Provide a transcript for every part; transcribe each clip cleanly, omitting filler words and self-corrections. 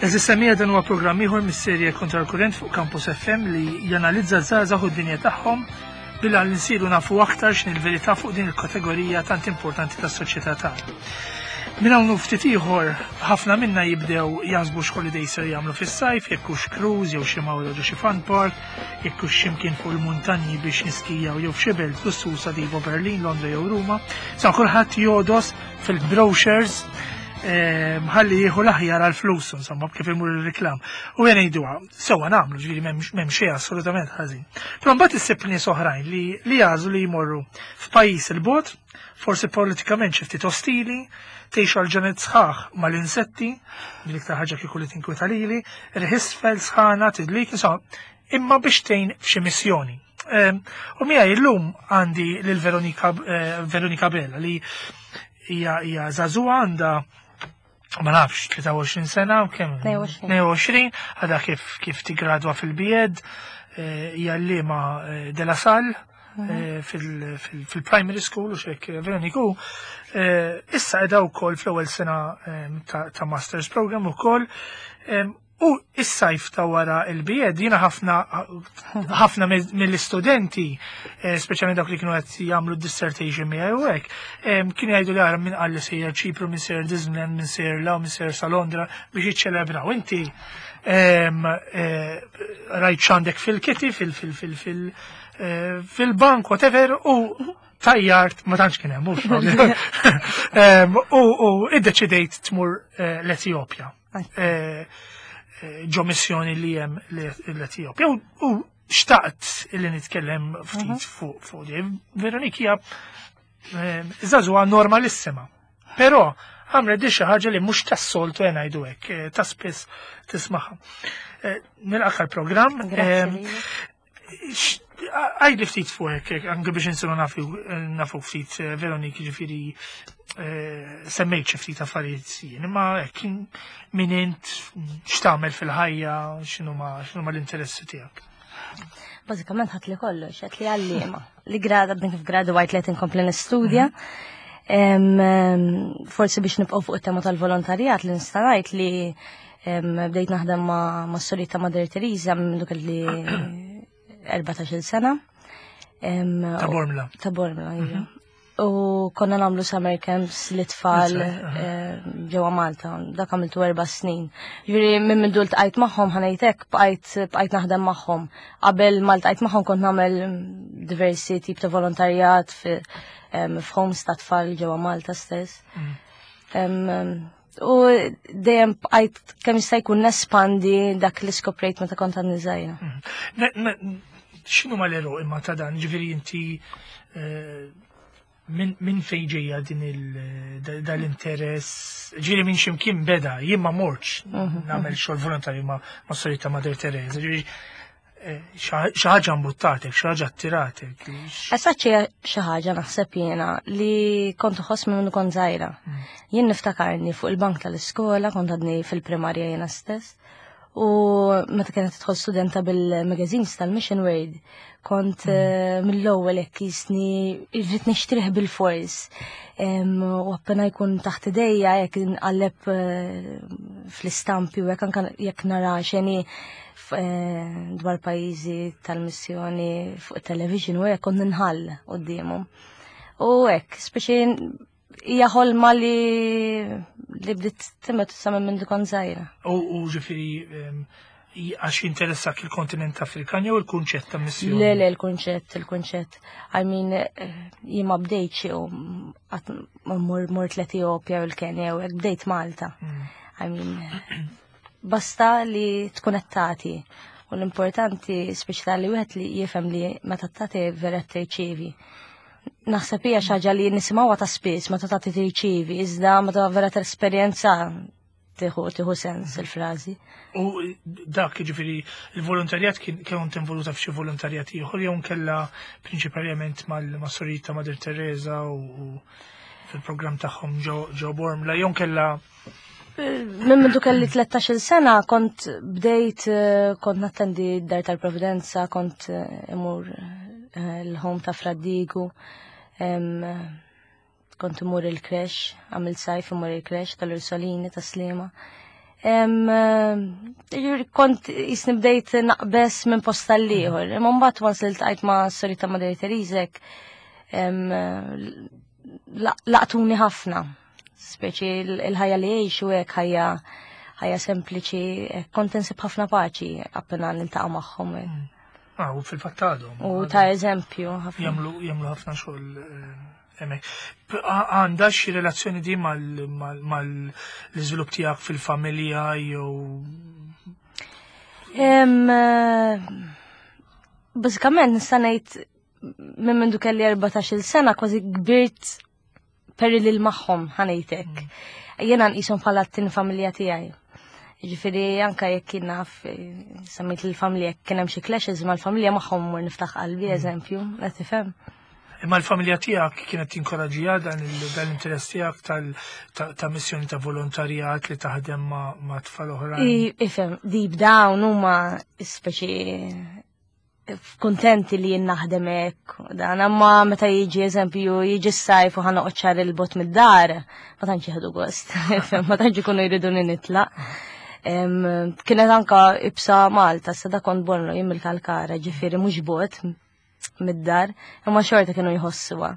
Eżis semija dan huwa programm ieħor mis-serje Kontra l-Kurrent fuq Campus FM li janalizza żgħażagħ u d-dinja tagħhom bilha li nsiru nafu aktar x'in il-verità fuq din il-kategorija tant importanti tas-soċjetà tagħna. Minn hawn ftit ieħor ħafna minna jibdew jaħsbu x'holiday ser jagħmlu fis-sajf, jekk hux cruise jew xi mawra ġo xi fun park, jekk hux x'imkien fuq il-muntanji biex niskijaw jew f'xi belt lussusa tipo Berlin, Londra jew Ruma. Sa kulħadd jodos fil-brochures eh, ħalli jieħu l-aħjar għal flus, insomma, kif imur il-reklam. U jena jidwa, sewa namlu, ġviri m'hemm xejn assolutament ħażin. Però mbagħad issib nies oħrajn li li jażlu li jmorru f'pajjiż il-bot, forsi politikament xi ftit ostili, tgħixu għal ġenet sħaħ mal-insetti, din iktar ħaġa kieku li tinkwita lili, riħisfel sħana, tidlik, insomma, imma biex tgħin f'xi missjoni. Ehm, u miegħi llum għandi lil Veronika eh, Veronika Bella li hija hija żagħżugħa għandha ma nafx 23 sena u kemm 22 għadha kif kif tigradwa fil-bied eh, hija liema eh, de la Salle mhm. fil-primary school u xek Veroniku issa qiegħda wkoll fl-ewwel sena ta' masters program ukoll U is-sajf ta' wara il-bied, jiena ħafna ħafna mill-istudenti, eh, speċjalment dawk li kienu qed jagħmlu dissertation miegħi u hekk, kienu jgħidu li ara minn qalli sejjer Ċipru, minn sejjer Disneyland, minn sejjer Law, minn sejjer sa Londra biex jiċċelebraw. Inti eh, rajt x'għandek fil-kiti, eh, fil-bank, whatever, u tajjart, ma tantx kien hemm, mhux u iddeċidejt tmur l-Etjopja. Eh, eh, ġo missjoni li hemm l-Etjopja. U xtaqt li nitkellem ftit mhm. fuq fuq di. Veronika hija eh, żagħżugħa normalissima. Però għamlet di xi ħaġa li mhux tas-soltu qed ngħidu hekk, ta' spiss tismaħħa. Nilqak programm Għajdi ftit fuq hekk, anke biex insiru nafu ftit eh, Veronik ġifieri eh, semmejt xi ftit affarijiet jien, imma hekk min int x'tagħmel fil-ħajja, x'inhuma x'inhuma l-interessi tiegħek. Bażikament ħadd li kollox, qed li għalliema. Li grada bdejn kif gradwajt li qed inkompli nistudja. Mhm. Forsi biex nibqgħu fuq it-tema tal-volontarjat li nista' ngħid li Bdejt naħdem ma' s-solita Mother Teresa minn dik li 14 sena. Ta' Bormla. Ta' Bormla, iva. Mhm. U konna namlu summer camps li tfal eh, ġewwa Malta, dak għamiltu erba' snin. Ġifieri minn minn dul tqajt magħhom ħanejtek bqajt bqajt naħdem magħhom. Qabel ma ltqajt magħhom kont nagħmel diversi tip ta' volontarjat f'homes ta' tfal ġewwa Malta stess. Mm. U dejjem bqajt kemm jista' jkun nespandi dak li skoprejt meta kont għandni żgħira. Mhm. X'inhu ma l imma ta' dan, ġifieri inti eh, minn fejn ġejja din dal-interess, ġifieri minn x'imkien beda, jien ma mortx mhm, nagħmel mhm. xogħol volontarju ma' Sorita Madre Teresa, ġifieri xi ħaġa mbuttatek, xi ħaġa attiratek. Esaċ xi ħaġa naħseb jiena li kont uħoss minn kont żgħira. Mm. Jien niftakarni fuq il-bank tal-iskola, kont għadni fil-primarja jiena stess. U meta kienet tidħol studenta bil-magazines tal-Mission World, kont mm. eh, mill-ewwel hekk jisni irrid nixtrih bil-fors. U appena jkun taħt idejja jekk nqalleb eh, fl-istampi u jekk anke jekk nara xeni Eh, dwar pajjiżi tal-missjoni fuq television u hekk kont ninħall quddiemhom. U hekk, speċi hija ħolma li li bdiet timet sa minn kont żgħira. U ġifieri għax jinteressak il-kontinent Afrikan jew il-kunċett ta' missjoni? Le, le, il-kunċett, il-kunċett. I mean, eh, jien ma bdejtx u qatt mort l-Etjopja u l-Kenja u hekk bdejt Malta. Mm. I mean, Basta li tkun qed tagħti. U l-importanti speċi li wieħed li jifhem li meta tagħti vera tirċievi. Naħseb hija xi ħaġa li nisimgħuha ta' spiss meta tagħti tirċievi, iżda meta vera tesperjenza tieħu tieħu sens il-frażi. U dak jiġifieri il-volontarjat kien kont involuta f'xi volontarjat ieħor jew nkella prinċipalment mal-Sorita Madre Teresa u fil-programm tagħhom ġo Bormla jew nkella Minn mindu kelli 13 sena kont bdejt eh, kont nattendi d-dar tal-Providenza, kont eh, imur eh, l-home ta' Fraddigu, kont imur il-kresh, għamil sajf imur il-kresh tal-Ursolini ta' Slima. Kont jisni bdejt naqbes minn post tal-ieħor. Imma mbagħad once li ltqajt ma' Sorita Madre Terizek, laqtuni ħafna. Speċi il-ħajja li jgħixu hekk ħajja ħajja sempliċi, kont insib ħafna paċi appena niltaqa' magħhom. Ah, u fil-fatt għadhom. U ta' eżempju ħafna. Jagħmlu ħafna xogħol hemmhekk. Għandha xi relazzjoni di mal-iżvilupp tiegħek fil-familja jew Bażikament nista' ngħid minn mindu kelli 14-il sena kważi kbirt perri lil magħhom ħanejtek. Jiena nqishom bħala t-tieni familja tiegħi. Ġifieri anka jekk kien naf semmejt il-familja jekk kien hemm xi clashes mal-familja magħhom mur niftaħ qalbi eżempju, qed tifhem. Imma l-familja tiegħek kienet tinkoraġġija dan l-interess tiegħek ta' missjoni ta' volontarjat li taħdem ma' tfal oħrajn. Ifhem, deep down huma speċi kontenti li jien naħdem hekk, dan imma meta jiġi eżempju jiġi s-sajf u ħa noqgħod xahar il-bot mid-dar, ma tantx jieħdu gost, ma tantx ikunu jridu li nitlaq. Kienet anka ibsa Malta, sa da kont Bormla jien mill-Kalkara, ġifieri mhux bot mid-dar, imma xorta kienu jħossuha.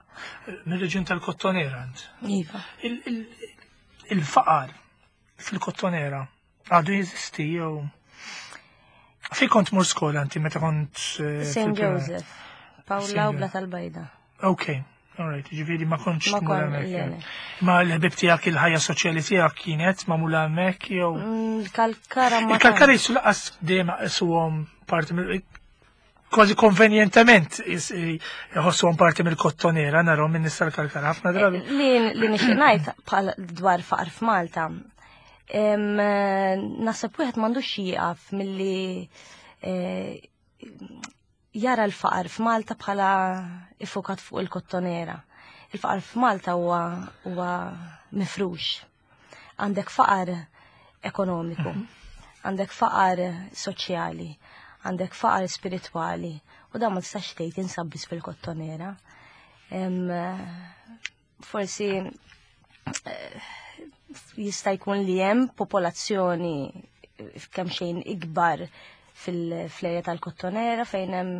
Mir-reġjun tal-Kottonera int? Iva. Il-faqar fil-Kottonera għadu jeżisti jew Fej kont mur skola inti meta kont St. Joseph, Paola u Bla tal-Bajda. Ok, all right, ġifieri ma kontx tmur hemmhekk. Ma l-ħbib tiegħek il-ħajja soċjali tiegħek kienet magħmula hemmhekk jew? Il-Kalkara ma. Il-Kalkara jisu laqas dejjem isuhom parti mill kważi konvenjentement jħossuhom parti mill-kottonera narahom minn nista l-Kalkara ħafna drabi. Li nixtieq ngħid bħal dwar faqar f'Malta. Naħseb wieħed m'għandux jieqaf milli jara l-faqar f'Malta bħala ifukat fuq il-kottonera. Il-faqar f'Malta huwa mifrux. Għandek faqar ekonomiku, għandek faqar soċjali, għandek faqar spiritwali, u dan ma tistax tgħid insab biss fil-kottonera. Forsi jista' jkun li hemm popolazzjoni kemm xejn ikbar fil-fleja tal-kottonera fejn hemm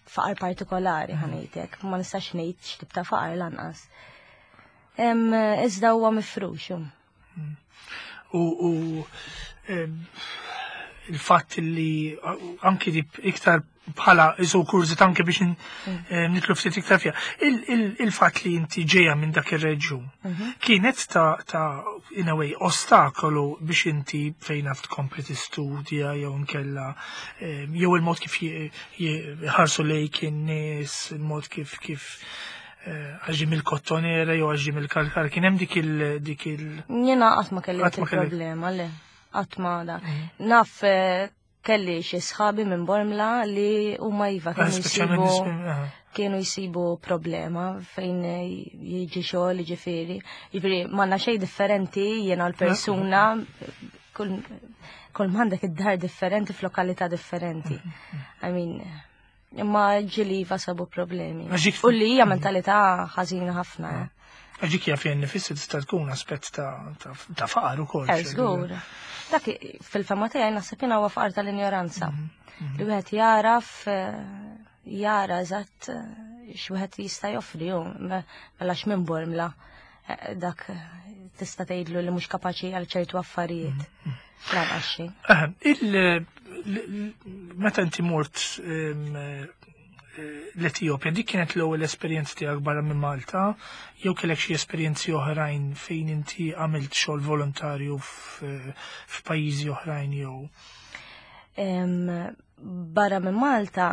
faqar partikolari ħanejtek, ma nistax ngħid x'tip ta' faqar lanqas. Iżda huwa mifrux. U il-fatt li anki di iktar bħala isu kurżit anke biex nitlu ftit iktar fiha. Il-fatt li inti ġejja minn dak ir-reġjun kienet ta' in a way ostakolu biex inti fejn naf tkompli tistudja jew nkella jew il-mod kif jħarsu lejk in-nies, il-mod kif għax ġie mill-kottonera jew għax ġie mill-kalkar, kien hemm dik il dik il Jiena qatt ma kelli Qatt ma kelli. problema, le. Qatt ma da. Naf kelli xi sħabi minn Bormla li huma iva kienu Speċjalment jsibu nies minn, aha. kienu jsibu problema fejn jiġi xogħol, jiġifieri. Jiġifieri m'għandna xejn differenti jiena l-persuna, kull m'għandek id-dar differenti f'lokalità differenti. I mean, imma ġieli iva sabu problemi. Għax dik U li hija mentalità ħażina ħafna. Għax dik hija fejn nifisser tista' tkun aspett ta' faqar ukoll. Żgur. Dak fil-fema tiegħi naħseb jiena huwa faqar tal-injoranza. Li wieħed jaraf jara eżatt x'wieħed jista' joffri hu, mela x'minn Bormla dak tista' tgħidlu li mhux kapaċi għal ċertu affarijiet. Lanqas xejn. Meta inti mort l-Etjopja, dik kienet l-ewwel esperjenza tiegħek barra minn Malta, jew kellek xi esperjenzi oħrajn fejn inti għamilt xogħol volontarju f'pajjiżi oħrajn jew? Barra minn Malta,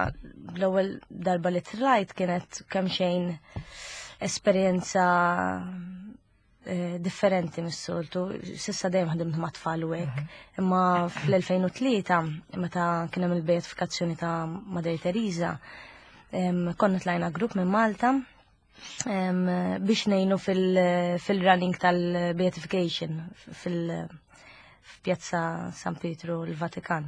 l-ewwel darba li tlajt kienet kemm xejn esperjenza differenti mis-soltu. Sissa dejjem ħdimt ma' tfal u hekk. Imma fl-2003, meta kien hemm il-beatifikazzjoni ta' Madre Teresa, konna tlajna grupp minn Malta biex ngħinu fil-running tal-beatification fil-Pjazza San Pietru l-Vatikan.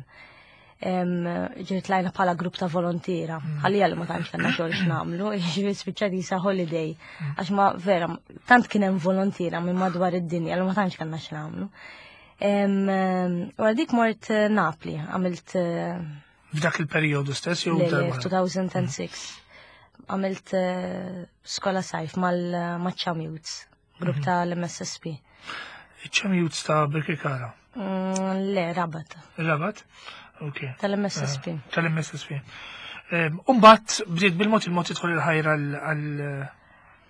Ġiet tlajna bħala grupp ta' volontiera, ħalli li ma tantx kellna xogħol x'nagħmlu, jiġifieri spiċċat jisa holiday, għax ma vera, tant kien hemm volontiera minn madwar id-dinja li ma tantx kellna x'nagħmlu. Wara dik mort eh, Napli, għamilt. Eh, F'dak il-perjodu stess jew darba? 2006. Għamilt eh, skola sajf mal-Cham Youths, grupp mhm. tal-MSSP. Cham Youths ta' Birkirkara? Le, Rabat. Rabat? Ok. Tal-MSSP. Tal-MSSP. Umbat, bdiet bil-mod il-mod tidħol il-ħajra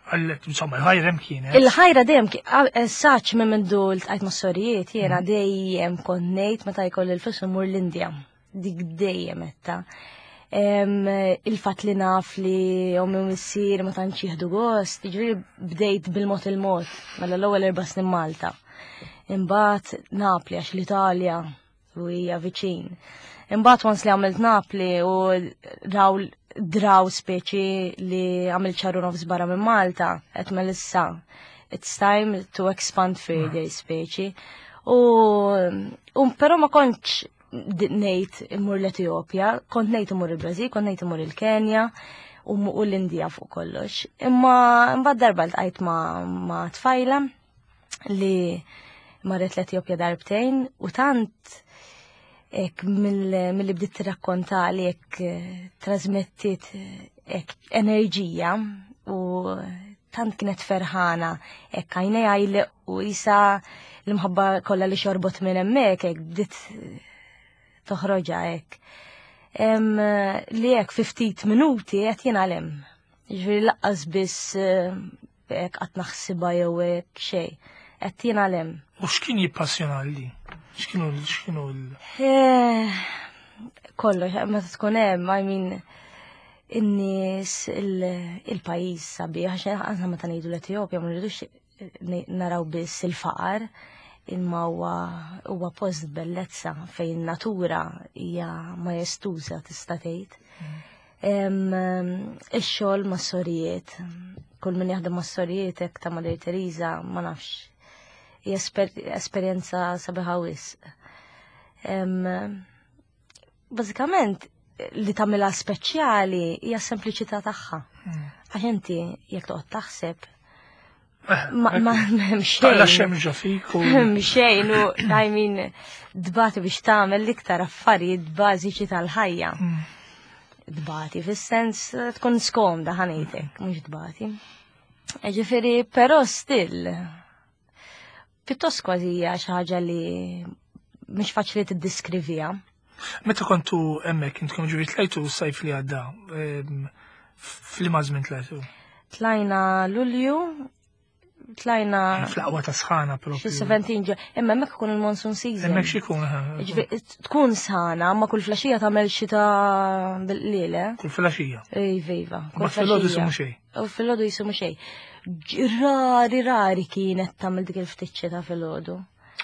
għal insomma, il-ħajra hemm kienet. Il-ħajra dejjem eh, saċ minn mindu l-tqajt ma' sorijiet jiena mm. dejjem kont ngħid meta jkolli l-flus imur l-Indja. Dik dejjem etta. Il-fatt li naf li ommi u missier ma tantx jieħdu gost, jiġifieri bdejt bil-mod il-mod, mela l-ewwel erba' snin Malta. Imbagħad Napli għax l-Italja u hija viċin. Imbagħad once li għamilt Napli u raw draw speċi li għamilt ċarru nofs barra minn Malta, qed melissa it's time to expand further speċi. U, u però ma kontx ngħid immur l-Etjopja, kont ngħid imur il-Brażil, kont ngħid imur il-Kenja u l-Indija fuq kollox. Imma imbagħad darba ltqajt ma', ma tfajla li marret l-Etjopja darbtejn u tant ek mill-li bdiet tirrakkonta li ek eh, trasmettit ek enerġija u tant kienet ferħana ek għajnejha u jisa l-imħabba kollha li xorbot minn hemmhekk hekk bdiet toħroġha hekk. Li hekk fi ftit minuti qed jingħalem. Ġifieri laqqas biss eh, hekk qatt naħsibha jew hekk xejn. Qed jingħalem. U x'kien jippassjonali? X'kienu x'kienu l eh, Kollox, meta tkun hemm, I mean, in-nies, il-pajjiż sabiħ, għax aħna meta ngħidu l-Etjopja ma rridux naraw biss il-faqar, imma huwa post bellezza fejn natura hija majestuża tista' tgħid. Mm. Ix-xogħol mas-sorijiet, kull min jaħdem mas-sorijiet hekk ta' Madre Teresa ma nafx. Hija esperjenza sabiħa wisq. Bażikament li tagħmilha speċjali hija s-sempliċità tagħha. Hmm. Għax inti jekk toqgħod taħseb eh, ma m'hemm xejn. La xemm ġo fik u xejn u I mean dbati biex tagħmel l-iktar affarijiet bażiċi tal-ħajja. Hmm. Dbati fis-sens tkun skomda ħanejtek, mhux dbati. Ġifieri, però still Pjuttost kważi hija xi ħaġa li mhix faċli tiddiskrivija. Meta kontu hemmhekk intkom ġifieri tlajtu s-sajf li għadda, f'liema żmien tlajtu? Tlajna Lulju, tlajna. Fl-aqwa ta' sħana propju. Xi 17 ġo, imma hemmhekk ikun il-monsoon season. Hemmhekk x'ikun. Tkun sħana, ma kull flaxija tagħmel xita bil-qliel, eh? Kull flaxija. Iva, iva. Ma filgħodu jisimu xejn. U filgħodu jisimu xejn. Rari, rari kienet tagħmel dik il-ftit xita filgħodu.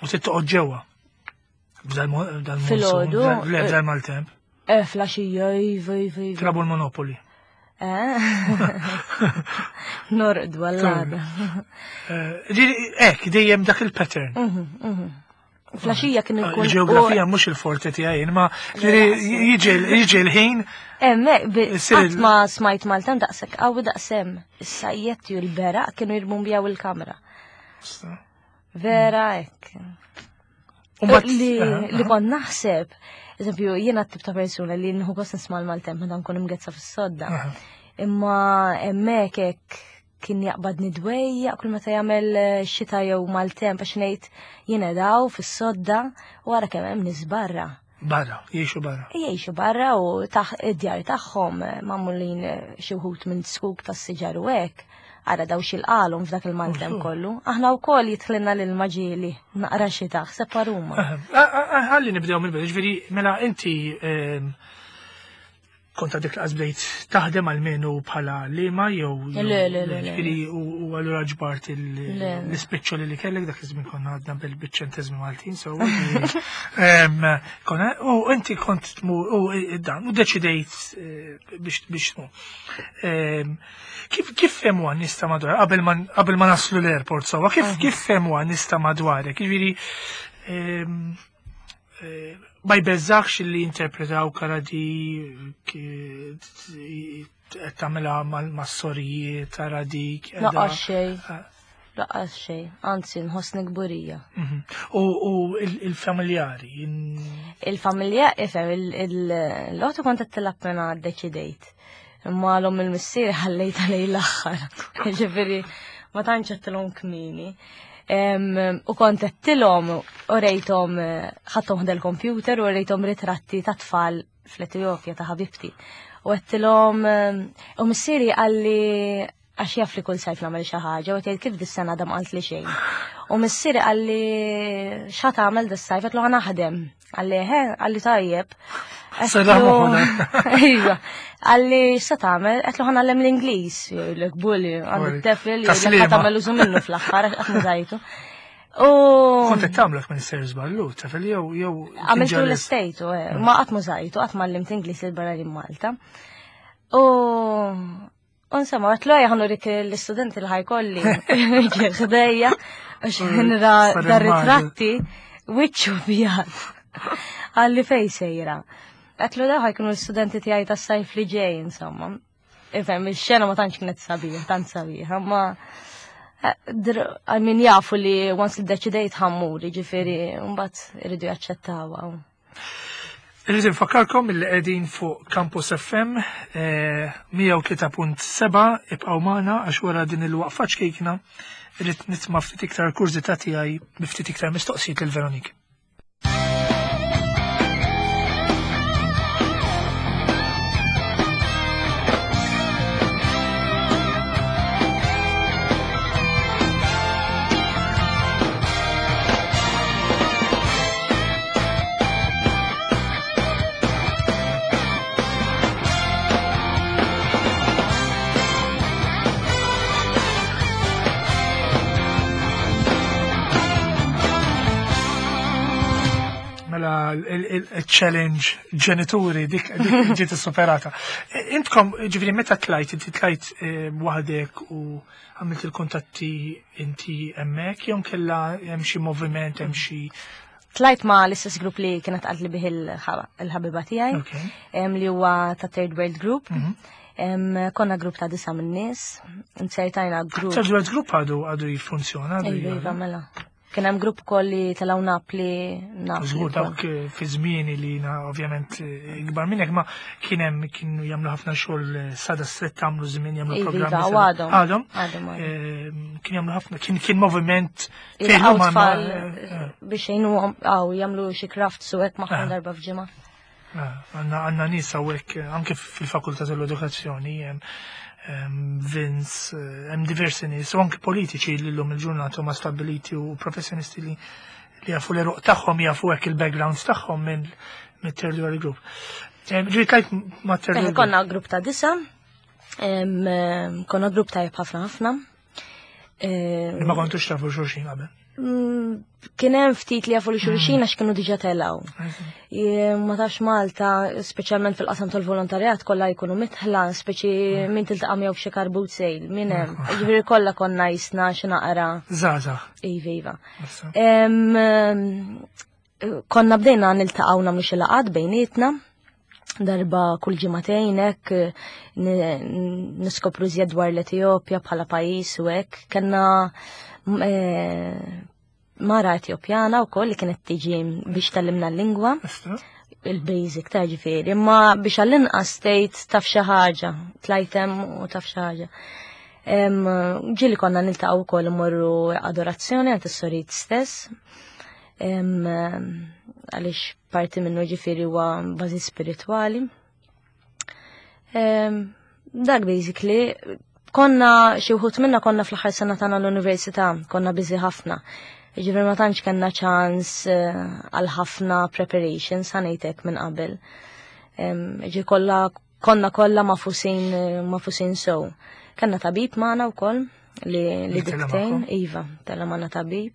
U trid toqgħod ġewwa. Filgħodu. Le, b'dal maltemp. Eh, flaxija, iva, iva, iva. Trabu l-Monopoli. Eh? Norqdu għall-għada. Eh, ek, dejjem dak il-pattern. Mhm, mhm. Flaxija kien ikun. Il-ġeografija mhux il-forte tiegħi, imma jiġi l-ħin. Hemmhekk qatt ma smajt Malta daqshekk qawwi daqshemm. Is-sajjetti u l-beraq kienu jirbumbijaw il-kamra. Vera hekk. Li kont naħseb, eżempju, jiena t-tip ta' persuna li nħu gost nisma' l-Maltemp meta nkun imgezza fis-sodda. Imma hemmhekk hekk kien jaqbadni dwejjaq kull meta jagħmel eh, xita jew maltemp għax ngħid jiena daw fis-sodda u ara kemm hemm nies barra. Barra, jgħixu barra. Jgħixu barra u taħ id-djar tagħhom eh, magħmulin eh, xi wħud minn skuk tas-siġar u hekk. Ara daw xil-qalhom f'dak il-maltemp kollu. Aħna wkoll jidħlilna lil maġieli naqra xita, ħseb paruma. Ħalli nibdew mill-bidu, ġifieri mela inti ehm, Kont għadek laqas bdejt taħdem għal-menu bħala lima jew. Le, le, le. Ġifieri u allura ġbart l-ispiċċoli li kellek dak iż-żmien konna għadna bil-ċentesmi Maltin, so. U inti kont tmur u dan u deċidejt eh, biex tmur. Kif kif fehmu għan nista madwar qabel ma naslu l-airport sewwa, kif kif fehmu għan nista madwarek? Ġifieri Eh, ma jbeżax li jinterpretaw karadi qed tagħmilha mas-sorijiet tara dik. Naqax xejn. Eh. Lanqas xejn, anzi nħossni kburija. U il-familjari? Il-familja, ifhem, l-oħtu kont qed tilgħab mena ddeċidejt. Imma l-omm il-missier ħallejtha lejn l-aħħar. Ġifieri ma tantx għedtilhom kmieni. U kont għedtilhom u rejthom ħadthom ħda l-computer u rejthom ritratti ta' tfal fl-Etjopja ta' ħabibti. U għedtilhom u missieri qalli għax jaf li kull sajf nagħmel xi ħaġa u tgħid kif dis-sena dam qalt li xejn. U missieri qalli x'ħa tagħmel dis-sajf qed ħa naħdem. Qalli eħe, qalli tajjeb. Iva. Qalli x'sa tagħmel? Qed ħa nagħllem l-Ingliż, jgħidlek bulli, għandu t-tefel jgħidlek ħa tagħmel użu minnu fl-aħħar qatt ma żajtu. U kont qed tagħmlek minn ser żballu, tafel jew jew Għamiltu l-istejtu, eh, ma qatt ma żajtu, qatt ma għallimt Ingliż il-barra Malta. U Insomma, għatlu għaj ħannu rik l-istudenti li ħajkolli ħdejja, għax nra dar-ritratti, wiċċu bjad. Għalli fej sejra. Għatlu daw ħajkunu l-studenti tiegħi tas-sajf li ġej, insomma. Ifhem, il-xena ma tantx kienet sabiħ, tant sabiħ, ma għal min jafu li once li deċidejt ħammur, ġifieri, mbagħad iridu jaċċettawha. Irrid infakkarkom li qegħdin fuq Campus FM 103.7 eh, ibqgħu magħna għax wara din il-waqfa ċkejkna irrid nitma' ftit iktar kurżità tiegħi bi ftit iktar mistoqsijiet lil Veronique. Mela il-challenge ġenituri dik ġiet superata. E, intkom, ġifieri meta tlajt, inti tlajt e, waħdek u għamilt il-kuntatti inti hemmhekk jew kella hemm xi moviment, hemm xi Tlajt ma l-istess grupp li kienet għalt li bih il-ħabiba tiegħi, li huwa ta' Third World Group. Mhm. Konna grupp ta' disa minn nies, insertajna grupp. Third World Group għadu għadu jiffunzjona. Iva, iva, mela. Kien hemm grupp ukoll li telgħu Napli. Napli. Żgur dawk eh, fi żmieni li jiena ovvjament eh, ikbar minnek ma kien hemm kienu jagħmlu ħafna xogħol eh, sada stretta għamlu żmien jagħmlu iva, programmi. Iva, għadhom. Għadhom. Għadhom. Kien jagħmlu ħafna kien kien moviment fejn huma biex jgħinu għaw jagħmlu xi crafts u hekk magħhom darba f'ġimgħa. Għanna għanna nies hawnhekk anke fil-Fakultà tal-Edukazzjoni Vince, eh, hemm diversi nies u anke politiċi li llum il-ġurnata huma stabbiliti u professjonisti li li jafu l-eruq tagħhom jafu hekk il-backgrounds tagħhom minn mit-Third World Group. Ġieli tlajt ma' Third World Konna grupp ta' disa, konna grupp tajjeb ħafna ħafna. Ma kontux tafu xulxin qabel. Kien hemm ftit li jafu li xulxin għax kienu diġà telgħu. Ma tafx Malta, speċjalment fil-qasam tal-volontarjat kollha jkunu mitħla, speċi min tiltaqa' miegħu f'xi karbut sejl, min hemm. Ġifieri kollha konna jisna xi naqra. Żgħażagħ. Iva, iva. Konna bdejna niltaqgħu nagħmlu xi laqgħat bejnietna darba kull ġimagħtejn hekk niskopru żjed dwar l-Etjopja bħala pajjiż u hekk. Kellna eh, mara Etjopjana wkoll li kienet tiġi biex tallimna l-lingwa. Il-basic ta' ġifieri, imma biex għall-inqas tgħid taf xi ħaġa, tlajtem u taf xi ħaġa. Ġieli konna niltaqgħu wkoll imorru adorazzjoni għand is-sorit stess għaliex parti minnu ġifieri huwa bażi spiritwali. Dak basically, konna xi wħud minna konna fl-aħħar sena tagħna l-università, konna biżi ħafna. Ġifieri ma tantx kellna ċans eh, għal ħafna preparations ħanejtek minn qabel. Ġi kollha konna kollha mafusin eh, mafusin sew. Kellna tabib magħna wkoll li li diktejn, iva, tella magħna tabib.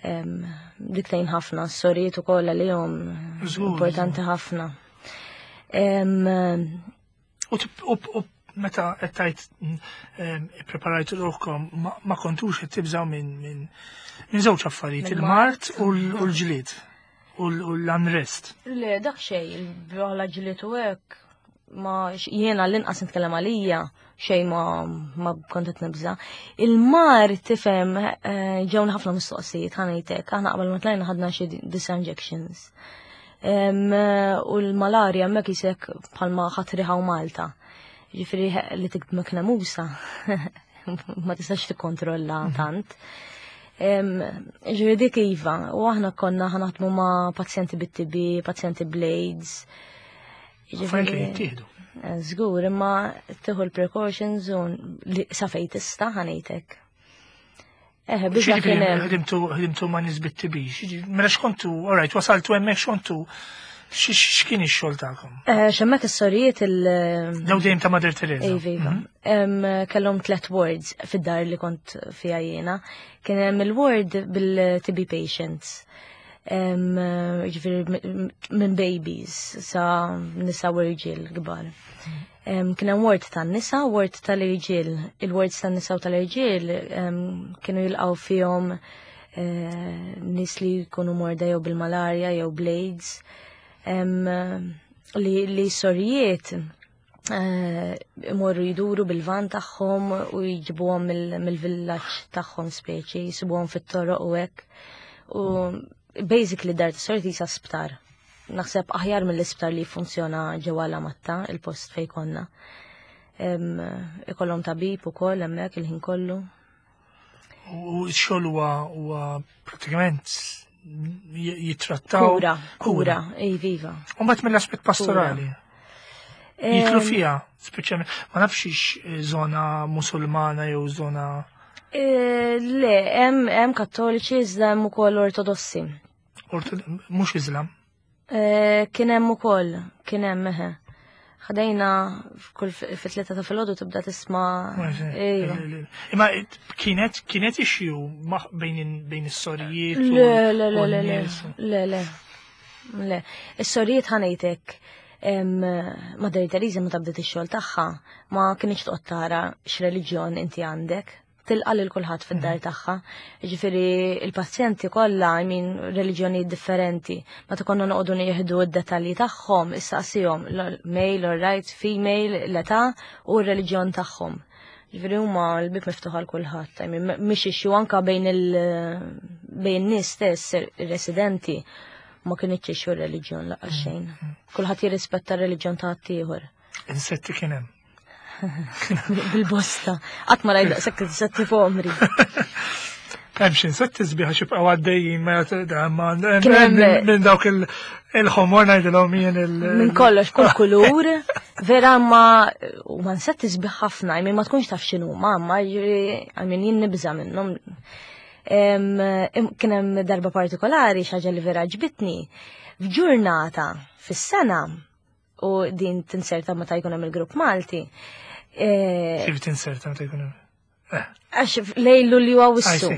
Dik tgħin ħafna, s-sorijiet ukoll għalihom importanti ħafna. U meta qed tgħid ippreparajtu ruħkom ma kontux qed tibżgħu minn żewġ affarijiet, il-mart u l-ġlied u l-unrest. Le, dak xejn, il-bħala ġlied u hekk. Ma jiena l-inqas nitkellem għalija xejn ma kont qed nibża. Il-mar tifhem eh, ġewna ħafna mistoqsijiet ħanejtek, aħna qabel ma tlajna ħadna xi disa injections. Eh, u l-malarja hemmhekk isek bħalma ħadd riħaw Malta. Ġifieri li tikdmek nemusa ma tistax tikkontrolla mhm. tant. Ġifieri dik iva, u aħna konna ħanaħdmu ma' pazjenti bit-TB, pazjenti blades. Affarijiet li jittieħdu. Eh, żgur, imma tieħu l-precautions u li sa fejn tista' ħanejtek. Eħe, biża kien hemm. Ħdimtu ma' nies bit-TB. Mela x'kontu, all right, wasaltu hemmhekk x'kontu x'kien ix-xogħol tagħkom? Eh, x'hemmhekk is-sorijiet il- Daw dejjem ta' Mother Teresa. Iva, iva. Mhm. Kellhom tlet wards fid-dar li kont fiha jiena. Kien hemm il-ward bil-TB patients. Ġifieri minn babies sa nisa u irġiel kbar. Kien hemm ward tan-nisa, ward tal-irġiel. Il-wards tan-nisa u tal-irġiel kienu jilqgħu fihom eh, nies li jkunu morda jew bil-malarja jew blades li, li sorijiet eh, imorru jduru bil-van tagħhom u jġibuhom mill-villaġġ tagħhom speċi, jisibuhom fit-toroq u hekk. U basically dar tas-sorijiet jisa sptar. Naħseb aħjar mill-isptar li funzjona ġewwa la matta, il-post fej konna. Ikollhom tabib ukoll hemmhekk il-ħin kollu. U x-xogħol huwa pratikament jittrattaw. Kura, kura, iva. U mbagħad mill-aspett pastorali. Jitlu fija, speċjalment, ma nafx ix zona musulmana jew zona. Eh, le, hemm kattoliċi iżda hemm ukoll ortodossi. Mhux Iżlam. Eh, kien hemm ukoll, kien hemm eħe. Ħdejna kull fit-tlieta ta' filgħodu tibda tisma' Iva. Imma kienet kienet issue bejn bejn is-sorijiet. Le, le, le, le, le, le, le. Le, is-sorijiet ħanejtek Mother Teresa meta bdiet ix-xogħol tagħha ma kienx toqgħod tara x'reliġjon inti għandek tilqa' lil kulħadd fid-dar mhm. tagħha. Ġifieri il-pazjenti kollha I mean reliġjonijiet differenti. Meta konna noqogħdu nieħdu d-dettalji tagħhom, issaqsihom male or right, female, l-età u r-reliġjon tagħhom. Ġifieri huma l-bib miftuħ għal kulħadd. I mean mhix issue anka bejn il bejn nies stess ir-residenti ma kienx issue r-reliġjon laqas mhm. xejn. Kulħadd jirrispetta r-reliġjon ta' ħaddieħor. Insetti kien hemm. Bil-bosta. Qatt ma rajt daqshekk insetti fuq omri. Hemm xi insetti sbieħ xi bqgħu għaddejjin ma minn dawk il-ħomor ngħidilhom jien il. Minn kollox kull kulur, vera ma u ma insetti sbieħ ħafna, I ma tkunx taf x'inhu ma ma I mean jien nibża' minnhom. Kien hemm darba partikolari xi ħaġa li vera ġbitni. F'ġurnata fis-sena u din tinserta meta jkun hemm il-grupp Malti. Eh, Kif tinserta meta jkun hemm? Eh. Għax lejlu li huwa wissu.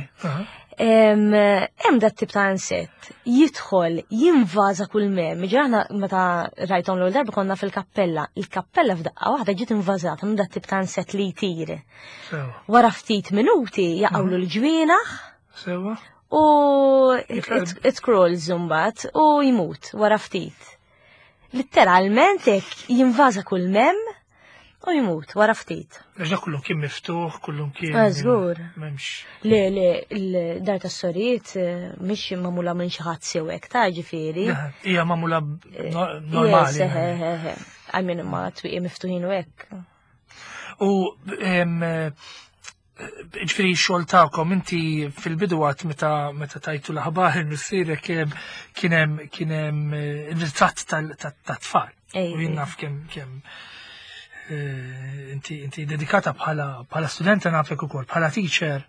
Hemm dat tip ta' insett jidħol jinvaża kull mem. Ġraħna meta rajthom l-ewwel darba konna fil-kappella. Il-kappella f'daqqa waħda ġiet invażata minn dat tip ta' insett li jtir. Wara ftit minuti jaqgħulu mhm. l-ġwienaħ. Sewa. U it crawls imbagħad u jmut wara ftit. Litteralment hekk jinvaża kull mem u jmut wara ftit. Għax dak kullu kien miftuħ, kullu kien. Ah, żgur. M'hemmx. Le, le, l-dar tas-sorijiet eh, mhix magħmula minn xi ħadd sew hekk ta' ġifieri. Hija magħmula eh, normali. I mean ma twieqi miftuħin u hekk. U ġifieri xogħol tagħkom inti fil-bidu għat meta meta tajtu l-aħbar il-missierek kien hemm kien hemm eh, il-ritratt tat-tfal. U jien naf kemm kemm eh, inti inti dedikata bħala bħala studenta nafek ukoll bħala teacher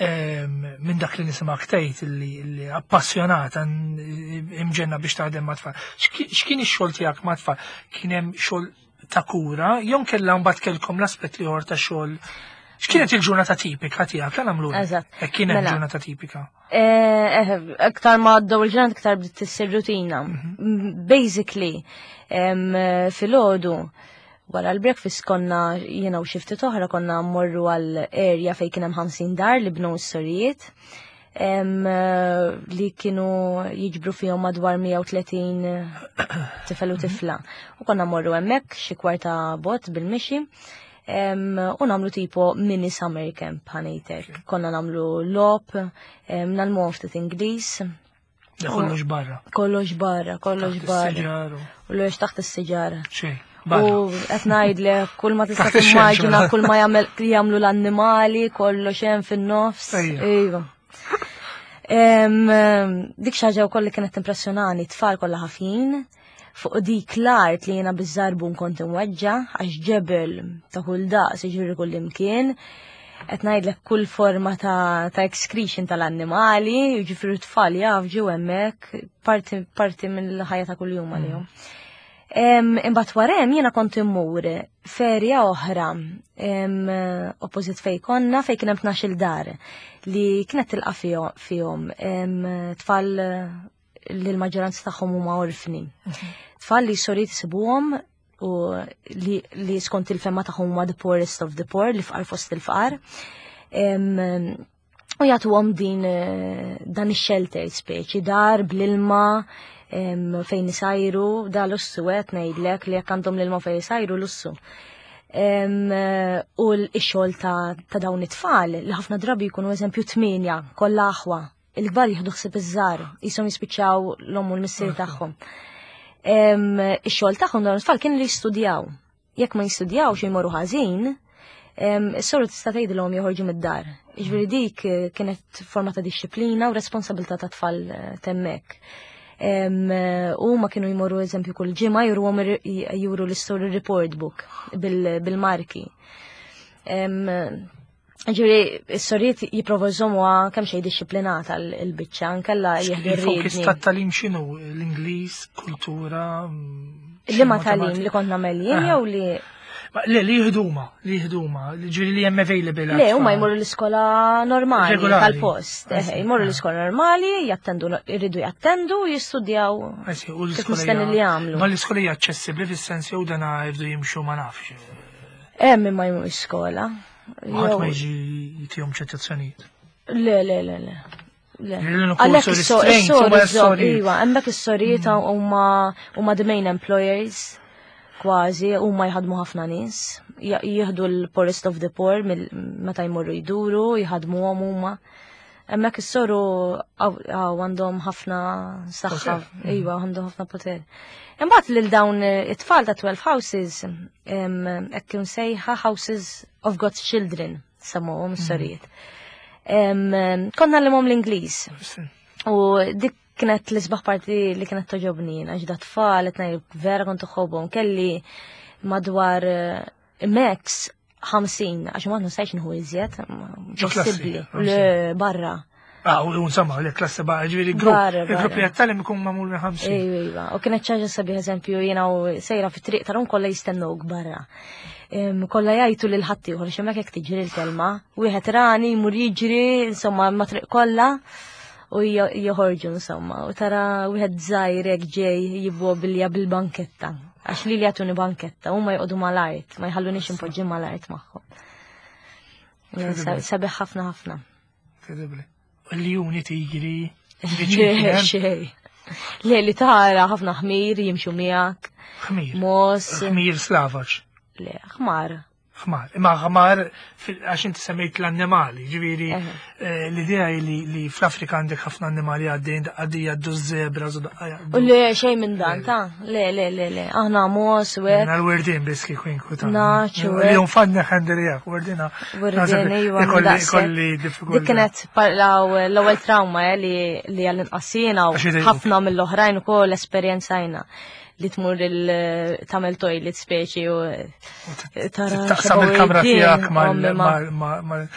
minn dak li nisimak tgħid li appassjonata imġenna biex taħdem ma' tfal. X'kien ix-xogħol tiegħek ma' tfal? Kien hemm xogħol ta' kura, jew kellha mbagħad kellkom l-aspett ieħor ta' xogħol. X'kienet il-ġurnata tipika tiegħek għal għamlu? Eżatt. Hekk kienet Mela. ġurnata tipika. Eh, eh, Aktar ma għaddew il-ġranet aktar bdiet tissir rutina. Mhm. Basically, filgħodu wara l-breakfast konna jiena u xi ftit oħra konna mmorru għal area fejn kien hemm 50 dar li bnew s-sorijiet. Li kienu jiġbru fihom madwar 130 tifel u tifla. U konna morru hemmhekk xi kwarta bot bil-mixi u namlu tipo mini summer camp ħanejtek. Konna namlu lop, nalmu ftit Ingliż. Kollox barra. Kollox barra, kollox barra. Kollox taħt is-siġar. Xejn. U qed ngħidlek kull ma tista' timmaġina kull ma jagħmlu l-annimali, kollox hemm fin-nofs. Iva. Dik xi ħaġa wkoll li kienet impressjonani, tfal kollha ħafjin fuq dik l-art li jiena biż-żarbun kont imweġġa għax ġebel ta' kull daqs jiġri kull imkien. Qed ngħidlek kull forma ta', ta excretion tal-annimali, jiġifieri tfal jafġu hemmhekk parti, parti mill-ħajja ta' kuljum għalihom. Imbagħad wara hemm jiena kont immur ferja oħra oppożit fej konna fej kien hemm tnax-il dar li kienet tilqa' fihom tfal li l-maġġoranza tagħhom huma orfni. Tfal li soriet isibuhom u li, li skont il-femma tagħhom huma the poorest of the poor, li fqar fost il-fqar. U jagħtuhom din eh, dan ix-shelter speċi, dar bl-ilma fejn isajru, da lussu qed ngħidlek li jekk għandhom l-ilma fejn isajru lussu. U l-xogħol ta', ta dawn it-tfal li ħafna drabi jkunu eżempju tminja, kollha aħwa, il-kbar jieħdu ħsieb iż-żgħar, qishom jispiċċaw l-omm u l-missier tagħhom. Ix-xogħol tagħhom dawn it-tfal kien li jistudjaw. Jekk ma jistudjawx jmorru ħażin, is-soru tista' tgħidilhom joħorġu mid-dar. Jiġifieri dik eh, kienet forma ta' dixxiplina u responsabilità ta' tfal eh, temmek. U ma kienu jmorru eżempju kull ġimgħa juruhom juru l-istory report book bil-marki. Ġiri, s-soriet jiprovu jżommuha kemm xejn dixxiplinata l-biċċa, nkella jieħdu Il-fokus tat-talim x'inhu? L-Ingliż, kultura? Li ma talim li kont nagħmel jien jew li Le, li jihduma, li jihduma, ġiri li hemm available. Le, huma jmorru l-iskola normali tal-post. Eh, jmorru l-iskola normali, jattendu, jridu jattendu, jistudjaw. Kif mistenni li jagħmlu. Ma l-iskola hija aċċessibbli fis-sens jew dana jridu jimxu ma nafx. Hemm imma jmur iskola. Ħadd ma jiġi jtihom ċitazzjonijiet. Le, le, le, le. Għalhekk is-sori, iva, hemmhekk is-sorijiet mm. huma huma the main employers kważi huma jħadmu ħafna nies, jieħdu l-poorest of the poor meta jmorru jduru, jħadmuhom huma. Hemmhekk is-soru għandhom ħafna saħħa, iva, għandhom ħafna poter. Imbagħad lil dawn it-tfal ta' 12 houses, hekk kien sejħa Houses of God's Children, semmuhom is-sorijiet. Konna l l-Ingliż. U dik kienet l-isbaħ parti li kienet toġobni, għax da tfal, qed vera kont uħobhom, kelli madwar eh, max 50, għax ma nistajx nħu iżjed, possibbli, barra. Ah, u insomma, li klassi barra, ġviri grupp, il-grupp li għattalim ikun mamul minn 50. Ejwa, iva, u kienet ċaġa sabiħ eżempju, jena u sejra fit triq tarum kolla jistennuk barra. Kolla jajtu lil ħaddieħor, xemmek jek tiġri l-kelma, wieħed rani, jmur jiġri, insomma, ma triq kolla u joħorġu insomma, u tara wieħed żgħir hekk ġej jibwobilja bil-banketta. Għax li li jagħtuni banketta, huma jqogħdu mal-art, ma jħallunix impoġġi mal-art magħhom. Sabiħ ħafna ħafna. Incredibli. Ljuni, tigri, Xej. Le li tara ħafna ħmir jimxu miegħek. Ħmir. Mos. Ħmir slavaġ. Le, ħmar. Ħmar. Imma ħmar, għax inti semmejt l-annimali, ġifieri eh, l-idea li fl-Afrika għandek ħafna annimali għaddejn għaddejja għaddu zebra, U le, xejn minn dan, ta' le, le, le, le, aħna mos u hekk. L-werdin biss kieku inkwita. Naċ u Li unfanni ħandelijak, werdina. Werdin, iva. Ikolli diffikultà. Dik kienet l-ewwel trauma eh, li għall-inqasina u ħafna mill-oħrajn ukoll esperjenzajna li tmur il-tamel toilet speċi u tara. Taqsam il-kamra tiegħek mal.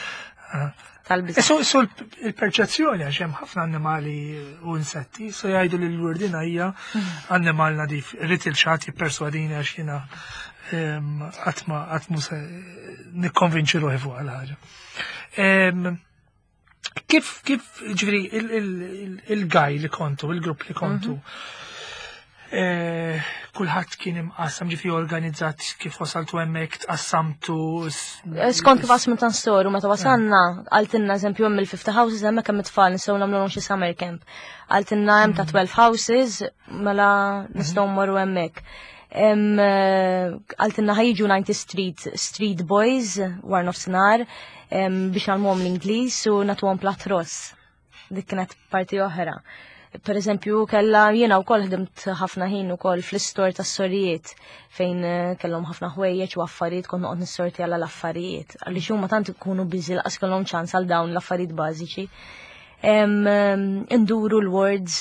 Tal-biża. Su il-perċezzjoni għax hemm ħafna annimali u insetti, so jgħidu li l-wurdina hija annimal nadif. Irrid il-xatt jipperswadini għax jiena qatt ma qatt mu se nikkonvinċi ruħi fuq għal ħaġa. Kif, kif, ġviri, il-gaj li kontu, il-grupp li kontu, mhm. Kulħadd kien imqassam ġifi organizzat kif wasaltu hemmhekk tqassamtu. Skont kif qasmu tan soru meta wasalna qaltilna eżempju hemm il-50 houses hemmhekk hemm it-tfal nistgħu nagħmluhom xi summer camp. Qaltilna hemm ta' 12 houses mela nistgħu mmorru hemmhekk. Qaltilna ħa jiġu 90 Street Boys war nofsinhar biex nagħmluhom l-Ingliż u nagħtuhom plat ross. Dik kienet parti oħra. Per eżempju, kella jiena wkoll ħdimt ħafna ħin ukoll fl-istor tas-sorijiet fejn kellhom ħafna ħwejjeġ u affarijiet kont noqgħod nissorti għal l-affarijiet. Għaliex huma tant ikunu busy laqas kellhom ċans għal dawn l-affarijiet bażiċi. Induru l-wards,